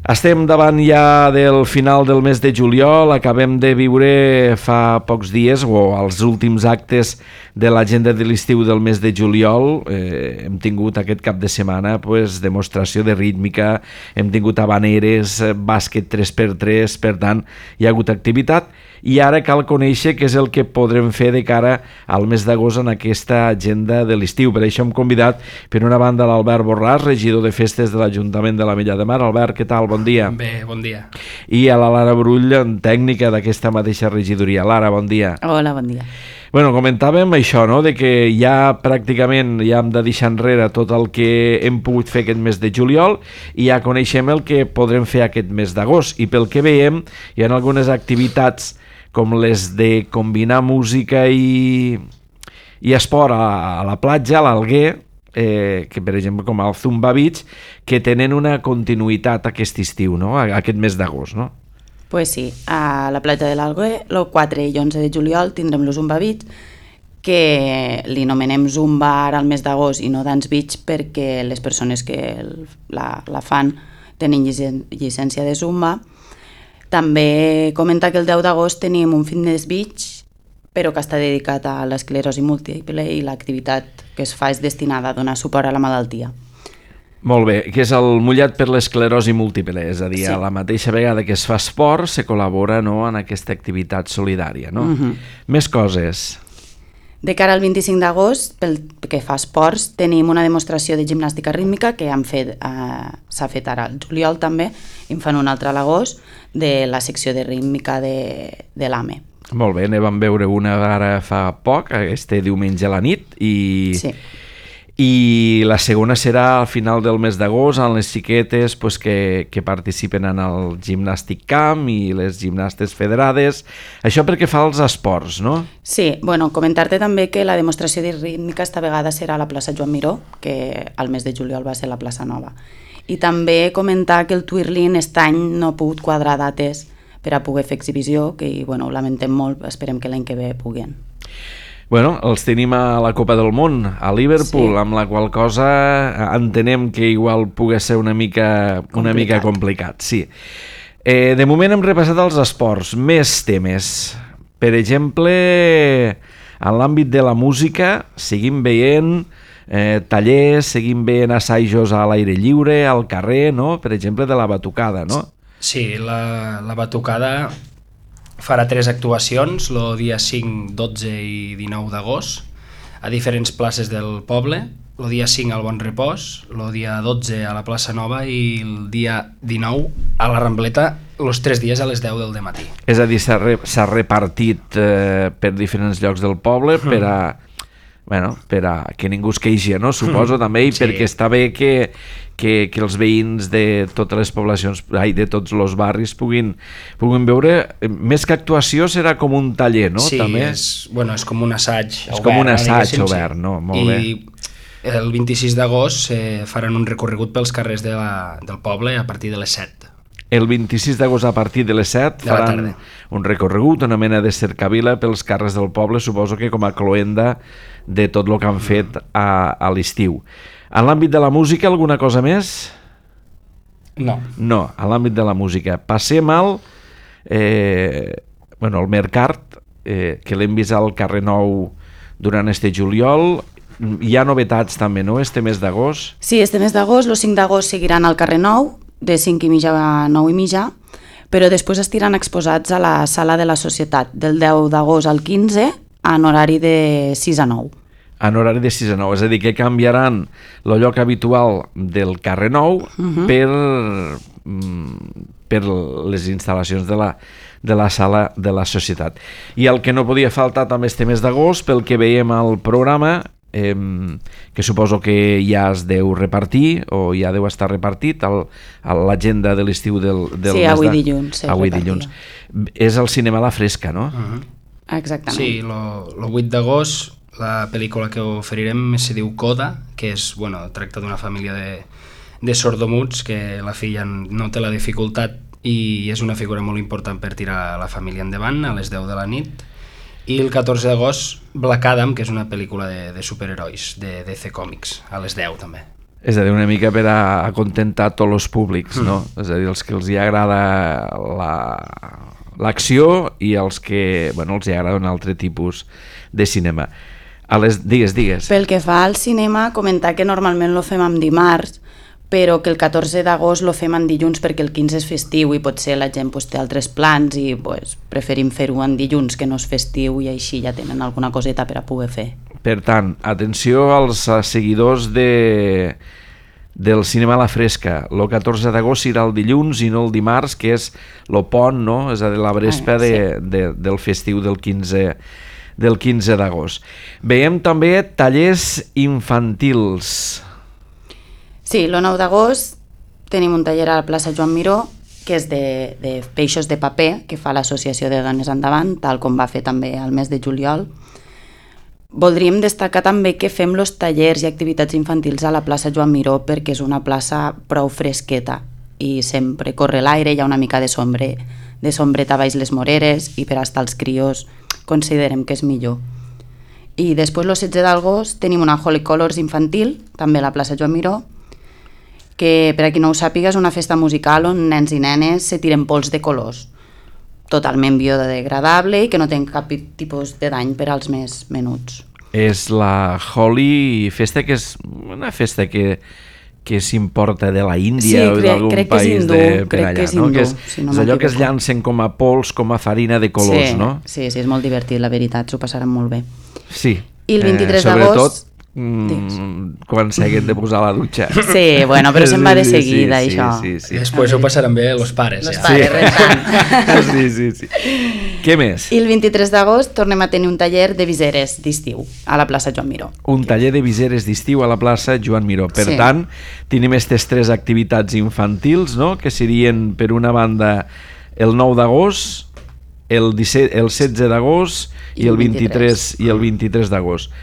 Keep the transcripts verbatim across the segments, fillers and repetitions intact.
Estem davant ja del final del mes de juliol, acabem de viure fa pocs dies, o els últims actes de l'agenda de l'estiu del mes de juliol. Eh, hem tingut aquest cap de setmana pues, demostració de rítmica, hem tingut habaneres, bàsquet tres per tres, per tant, hi ha hagut activitat. I ara cal conèixer què és el que podrem fer de cara al mes d'agost en aquesta agenda de l'estiu. Per això hem convidat, per una banda, l'Albert Borràs, regidor de festes de l'Ajuntament de l'Ametlla de Mar. Albert, què tal? Bon dia. Bé, bon dia. I a la Lara Brull, tècnica d'aquesta mateixa regidoria. Lara, bon dia. Hola, bon dia. Bueno, comentàvem això, no?, de que ja pràcticament ja hem de deixar enrere tot el que hem pogut fer aquest mes de juliol i ja coneixem el que podrem fer aquest mes d'agost. I pel que veiem, hi ha algunes activitats com les de combinar música i, i esport a, a la platja, a l'Alguer, eh, que per exemple com el Zumba Beach, que tenen una continuïtat aquest estiu, no?, aquest mes d'agost, no? Pues sí, a la platja de l'Alguer, el quatre i onze de juliol tindrem el Zumba Beach, que li anomenem Zumba ara al mes d'agost i no Dance Beach perquè les persones que la, la fan tenen llicen, llicència de Zumba. També comenta que el deu d'agost tenim un Fitness Beach, però que està dedicat a l'esclerosi múltiple i l'activitat que es fa és destinada a donar suport a la malaltia. Molt bé, que és el mullat per l'esclerosi múltiple, és a dir, sí. A la mateixa vegada que es fa esport, se col·labora, no?, en aquesta activitat solidària, no? Uh-huh. Més coses. De cara al vint-i-cinc d'agost, pel que fa esports, tenim una demostració de gimnàstica rítmica que han fet, eh, s'ha fet ara al juliol també, i en fan una altra a l'agost, de la secció de rítmica de, de l'A M E. Molt bé, ne vam veure una ara fa poc, este diumenge a la nit, i... Sí. I la segona serà al final del mes d'agost amb les xiquetes pues, que, que participen en el gimnàstic camp i les gimnastes federades. Això perquè fa els esports, no? Sí, bueno, comentar-te també que la demostració de rítmica esta vegada serà a la plaça Joan Miró, que al mes de juliol va ser la plaça Nova. I també comentar que el Twirling aquest any no ha pogut quadrar dates per a poder fer exhibició, que bueno, ho lamentem molt, esperem que l'any que ve puguen. Bueno, els tenim a la Copa del Món, a Liverpool, sí. Amb la qual cosa entenem que igual pugui ser una mica complicat. Una mica complicat, sí. Eh, de moment hem repassat els esports, més temes. Per exemple, en l'àmbit de la música, seguim veient eh, tallers, seguim veient assajos a l'aire lliure, al carrer, no?, per exemple, de la batucada, no? Sí, la, la batucada farà tres actuacions, el dia cinc, dotze i dinou d'agost, a diferents places del poble. El dia cinc al Bon Repòs, el dia dotze a la plaça Nova i el dia dinou a la Rambleta, els tres dies a les deu del dematí. És a dir, s'ha re, s'ha repartit eh, per diferents llocs del poble per a, bueno, per a que ningú es queixi, no? Suposo també, i sí. Perquè està bé que, que, que els veïns de totes les poblacions, ai, de tots els barris puguin, puguin veure, més que actuació serà com un taller, no? Sí, també? És, bueno, és com un assaig és obert. És com un assaig no, obert, no? Molt I bé. El vint-i-sis d'agost eh, faran un recorregut pels carrers de la, del poble a partir de les set. El vint-i-sis d'agost a partir de les set de faran un recorregut, una mena de cercavila pels carrers del poble, suposo que com a cloenda de tot el que han fet a, a l'estiu. En l'àmbit de la música, alguna cosa més? No. No, en l'àmbit de la música. Passem al, eh, bueno, el Mercat, eh, que l'hem vist al carrer Nou durant este juliol. Hi ha novetats també, no?, este mes d'agost? Sí, este mes d'agost, el cinc d'agost seguiran al carrer Nou, de cinc i mitja a nou i mitja, però després estiran exposats a la Sala de la Societat del deu d'agost al quinze en horari de sis a nou. En horari de sis a nou, és a dir, que canviaran el lloc habitual del carrer Nou uh-huh. per, per les instal·lacions de la, de la Sala de la Societat. I el que no podia faltar també este mes d'agost, pel que veiem al programa, Eh, que suposo que ja es deu repartir o ja deu estar repartit al, a l'agenda de l'estiu del, del sí, mes avui de... dilluns avui dilluns. És el cinema a la fresca, no? Uh-huh. Exactament. Sí, el vuit d'agost la pel·lícula que oferirem se diu Coda, que és, bueno, tracta d'una família de, de sordomuts que la filla no té la dificultat i és una figura molt important per tirar la família endavant a les deu de la nit. I el catorze d'agost, Black Adam, que és una pel·lícula de, de superherois, de D C Comics, a les deu també. És a dir, una mica per a acontentar tots els públics, no? Mm. És a dir, els que els hi agrada la, l'acció i els que, bueno, els hi agrada un altre tipus de cinema. A les, digues, digues. Pel que fa al cinema, comentar que normalment lo fem amb dimarts, però que el catorze d'agost lo fem en dilluns perquè el quinze és festiu i potser la gent pues, té altres plans i pues, preferim fer-ho en dilluns que no és festiu i així ja tenen alguna coseta per a poder fer. Per tant, atenció als seguidors de, del cinema a la fresca. El catorze d'agost serà el dilluns i no el dimarts, que és el pont, no? És a dir, la vespa ah, sí. de, de, del festiu del quinze del quinze d'agost. Veiem també tallers infantils. Sí, el nou d'agost tenim un taller a la plaça Joan Miró, que és de, de peixos de paper, que fa l'Associació de Dones Endavant, tal com va fer també al mes de juliol. Voldríem destacar també que fem els tallers i activitats infantils a la plaça Joan Miró perquè és una plaça prou fresqueta i sempre corre l'aire, hi ha una mica de, sombre, de sombreta baix les moreres i per estar els crios considerem que és millor. I després, el setze d'agost, tenim una Holy Colors infantil, també a la plaça Joan Miró, que per a qui no ho sàpiga és una festa musical on nens i nenes se tiren pols de colors, totalment biodegradable i que no té cap tipus de dany per als més menuts. És la Holi Festa, que és una festa que, que s'importa de la Índia sí, o d'algun país hindú, de per allà, que és, no? hindú, Que és, si no és allò que es llancen com a pols, com a farina de colors, sí, no? Sí, sí, és molt divertit, la veritat, s'ho passaran molt bé. Sí. I el vint-i-tres eh, d'agost... Mm, quan s'haguen de posar a la dutxa. Sí, bueno, però se'n va de seguida, sí, sí, això. Sí, sí, sí. I després ho passaran bé els pares. Els ja. pares, sí. rentant. Sí, sí, sí. Què més? I el vint-i-tres d'agost tornem a tenir un taller de viseres d'estiu a la plaça Joan Miró. Un taller de viseres d'estiu a la plaça Joan Miró. Per sí. tant, tenim aquestes tres activitats infantils, no?, que serien, per una banda, el nou d'agost, el, disset, el setze d'agost i, i el vint-i-tres i el vint-i-tres d'agost.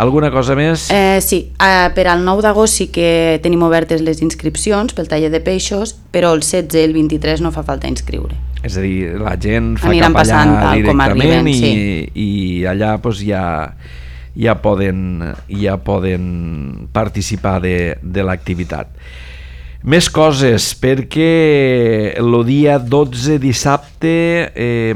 Alguna cosa més? Eh, sí, eh, per al nou d'agost sí que tenim obertes les inscripcions pel taller de peixos, però el setze i el vint-i-tres no fa falta inscriure. És a dir, la gent fa Aniran cap allà directament arriben, i, sí. i allà pues, ja, ja, poden, ja poden participar de, de l'activitat. Més coses, perquè el dia dotze, dissabte, eh,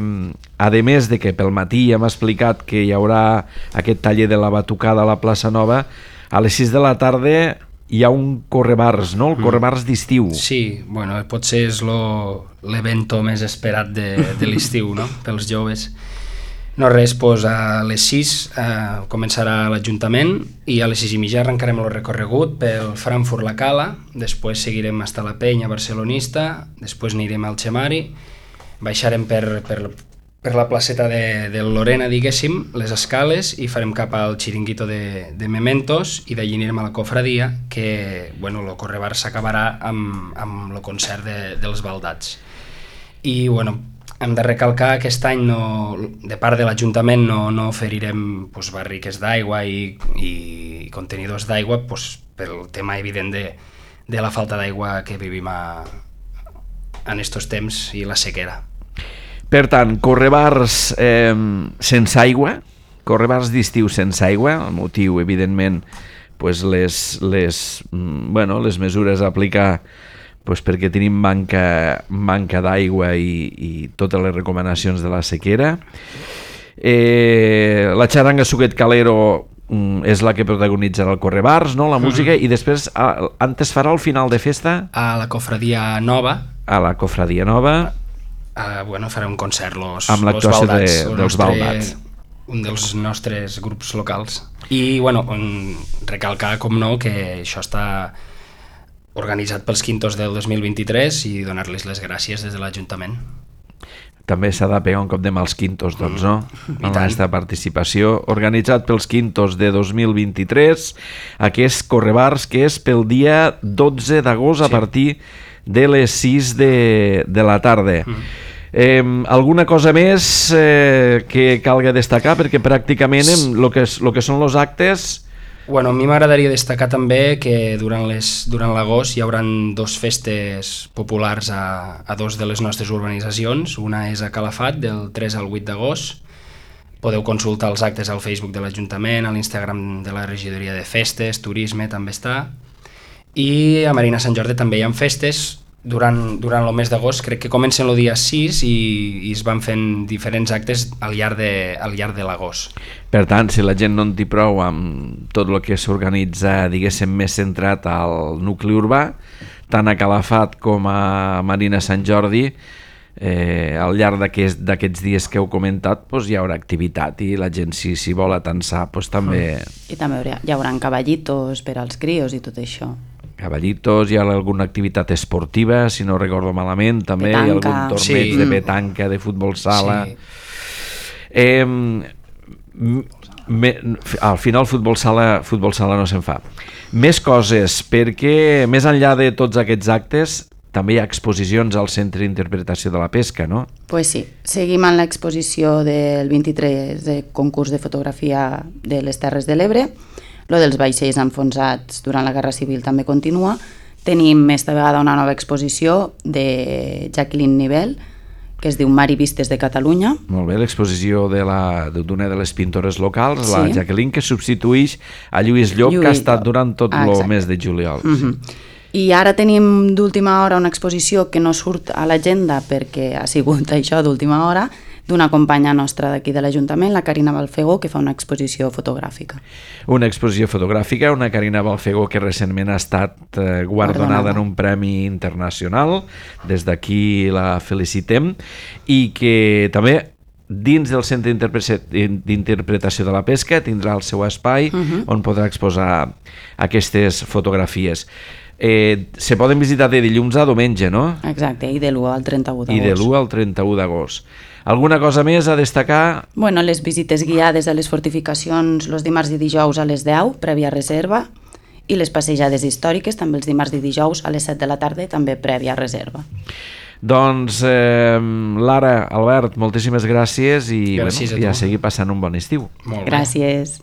a més de que pel matí hem explicat que hi haurà aquest taller de la batucada a la plaça Nova, a les sis de la tarda hi ha un correbars, no? El correbars d'estiu. Sí, bueno, potser és l'evento més esperat de, de l'estiu, no?, pels joves. No res, doncs a les sis eh, començarà l'Ajuntament i a les sis i mitja arrencarem el recorregut pel Frankfurt la Cala, després seguirem fins a la Penya Barcelonista, després anirem al Xemari, baixarem per, per, per la placeta de, de Lorena, diguéssim, les escales, i farem cap al xiringuito de, de Mementos, i d'allí anirem a la Cofradia, que, bueno, el correbar s'acabarà amb, amb el concert de, dels baldats. I, bueno, hem de recalcar que aquest any, no, de part de l'Ajuntament, no, no oferirem pues, barriques d'aigua i, i contenidors d'aigua pues, pel tema evident de, de la falta d'aigua que vivim a, en estos temps i la sequera. Per tant, correbars eh, sense aigua, correbars d'estiu sense aigua, el motiu, evidentment, pues les, les, bueno, les mesures a aplicar pues perquè tenim manca, manca d'aigua i, i totes les recomanacions de la sequera. Eh, la xaranga Suquet Calero mm, és la que protagonitzarà el correbars, no? La música, mm. i després a, antes farà el final de festa a la Cofradia Nova, a la Cofradia Nova uh, bueno, farà un concert los, amb l'actuació de, dels nostre, baldats, un dels nostres grups locals. I bueno, recalcar com no que això està organitzat pels quintos del dos mil vint-i-tres i donar-les les gràcies des de l'Ajuntament. També s'ha de pegar un cop de mà als quintos, doncs, no? Mm, amb aquesta participació. Organitzat pels quintos de dos mil vint-i-tres, aquest correbars que és pel dia dotze d'agost, sí, a partir de les sis de, de la tarda. Mm. Eh, alguna cosa més eh, que calga destacar? Perquè pràcticament el que, lo que són els actes... Bueno, a mi m'agradaria destacar també que durant les, durant l'agost hi haurà dos festes populars a, a dos de les nostres urbanitzacions. Una és a Calafat, del tres al vuit d'agost. Podeu consultar els actes al Facebook de l'Ajuntament, a l'Instagram de la Regidoria de Festes, Turisme també està. I a Marina Sant Jordi també hi ha festes durant, durant el mes d'agost, crec que comencen el dia sis i, i es van fent diferents actes al llarg de, al llarg de l'agost. Per tant, si la gent no en té prou amb tot el que s'organitza, diguéssim, més centrat al nucli urbà, tant a Calafat com a Marina Sant Jordi, eh, al llarg d'aquests d'aquests dies que heu comentat, doncs hi haurà activitat i la gent, si s'hi vol atansar, doncs també... I també hi haurà, hi haurà cavallitos per als crios i tot això. Cavallitos, hi ha alguna activitat esportiva, si no recordo malament, també Petanca. hi ha algun torneig Sí. de petanca, de futbol sala... Sí. Eh, me, al final futbol sala, futbol sala no se'n fa. Més coses, perquè més enllà de tots aquests actes també hi ha exposicions al Centre d'Interpretació de la Pesca, no? Pues sí, seguim amb l'exposició del vint-i-tres de concurs de fotografia de les Terres de l'Ebre. Lo dels vaixells enfonsats durant la Guerra Civil també continua. Tenim esta vegada una nova exposició de Jacqueline Nivel, que es diu Mar i Vistes de Catalunya. Molt bé, l'exposició de la- d'una de les pintores locals, Sí. la Jacqueline, que substituïx a Lluís Llop, Lluís que ha estat Llop. durant tot Ah, el exacte. mes de juliol. Uh -huh. I ara tenim d'última hora una exposició que no surt a l'agenda perquè ha sigut això d'última hora, d'una companya nostra d'aquí de l'Ajuntament, la Carina Balfegó, que fa una exposició fotogràfica. Una exposició fotogràfica, una Carina Balfegó que recentment ha estat eh, guardonada Guardonada. en un premi internacional, des d'aquí la felicitem, i que també dins del Centre d'Interpretació- d'Interpretació de la Pesca tindrà el seu espai uh -huh. on podrà exposar aquestes fotografies. Eh, se poden visitar de dilluns a diumenge, no? Exacte, i de l'u al trenta-u I de d'agost. l'u al trenta-u d'agost. Alguna cosa més a destacar? Bueno, les visites guiades a les fortificacions els dimarts i dijous a les deu, prèvia reserva, i les passejades històriques també els dimarts i dijous a les set de la tarda, també prèvia reserva. Doncs, eh, Lara, Albert, moltíssimes gràcies i Gràcies bueno, a ja tu. seguir passant un bon estiu. Molt bé. Gràcies.